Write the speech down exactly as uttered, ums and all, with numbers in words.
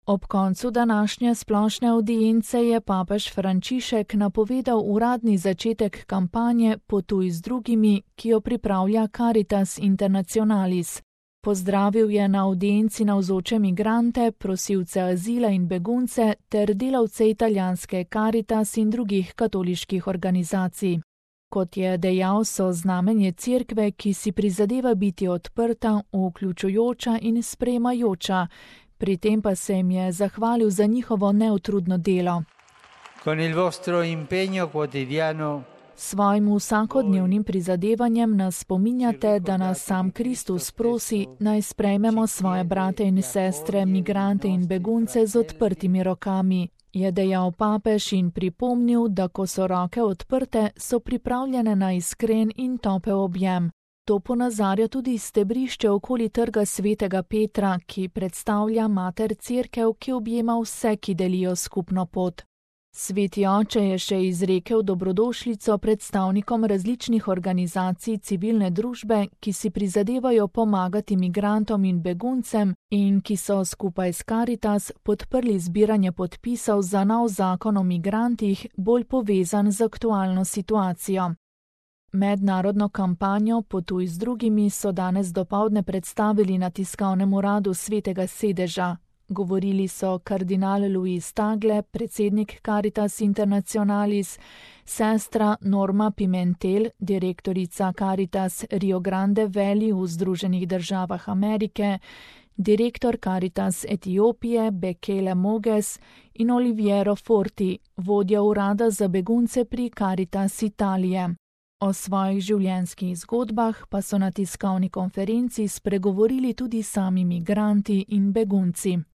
Ob koncu današnje splošne avdience je papež Frančišek napovedal uradni začetek kampanje Potuj z drugimi, ki jo pripravlja Caritas Internationalis. Pozdravil je na avdienci navzoče migrante, prosilce azila in begunce ter delavce italijanske Caritas in drugih katoliških organizacij. Kot je dejal, so znamenje cerkve, ki si prizadeva biti odprta, vključujoča in sprejemajoča. Pri tem pa se jim je zahvalil za njihovo neutrudno delo. Con il vostro impegno quotidiano Svojim vsakodnevnim prizadevanjem nas spominjate, da nas sam Kristus prosi, naj sprejmemo svoje brate in sestre, migrante in begunce z odprtimi rokami, je dejal papež in pripomnil, da ko so roke odprte, so pripravljene na iskren in topel objem. To ponazarja tudi stebrišče okoli trga svetega Petra, ki predstavlja mater cerkev, ki objema vse, ki delijo skupno pot. Sveti oče je še izrekel dobrodošlico predstavnikom različnih organizacij civilne družbe, ki si prizadevajo pomagati migrantom in beguncem in ki so skupaj s Caritas podprli zbiranje podpisov za nov zakon o migrantih, bolj povezan z aktualno situacijo. Mednarodno kampanjo Potuj z drugimi so danes dopoldne predstavili na tiskovnem uradu Svetega sedeža. Govorili so kardinal Luis Tagle, predsednik Caritas Internationalis, sestra Norma Pimentel, direktorica Caritas Rio Grande Valley v Združenih državah Amerike, direktor Caritas Etiopije Bekele Moges in Oliviero Forti, vodja urada za begunce pri Caritas Italije. O svojih življenjskih zgodbah pa so na tiskovni konferenci spregovorili tudi sami migranti in begunci.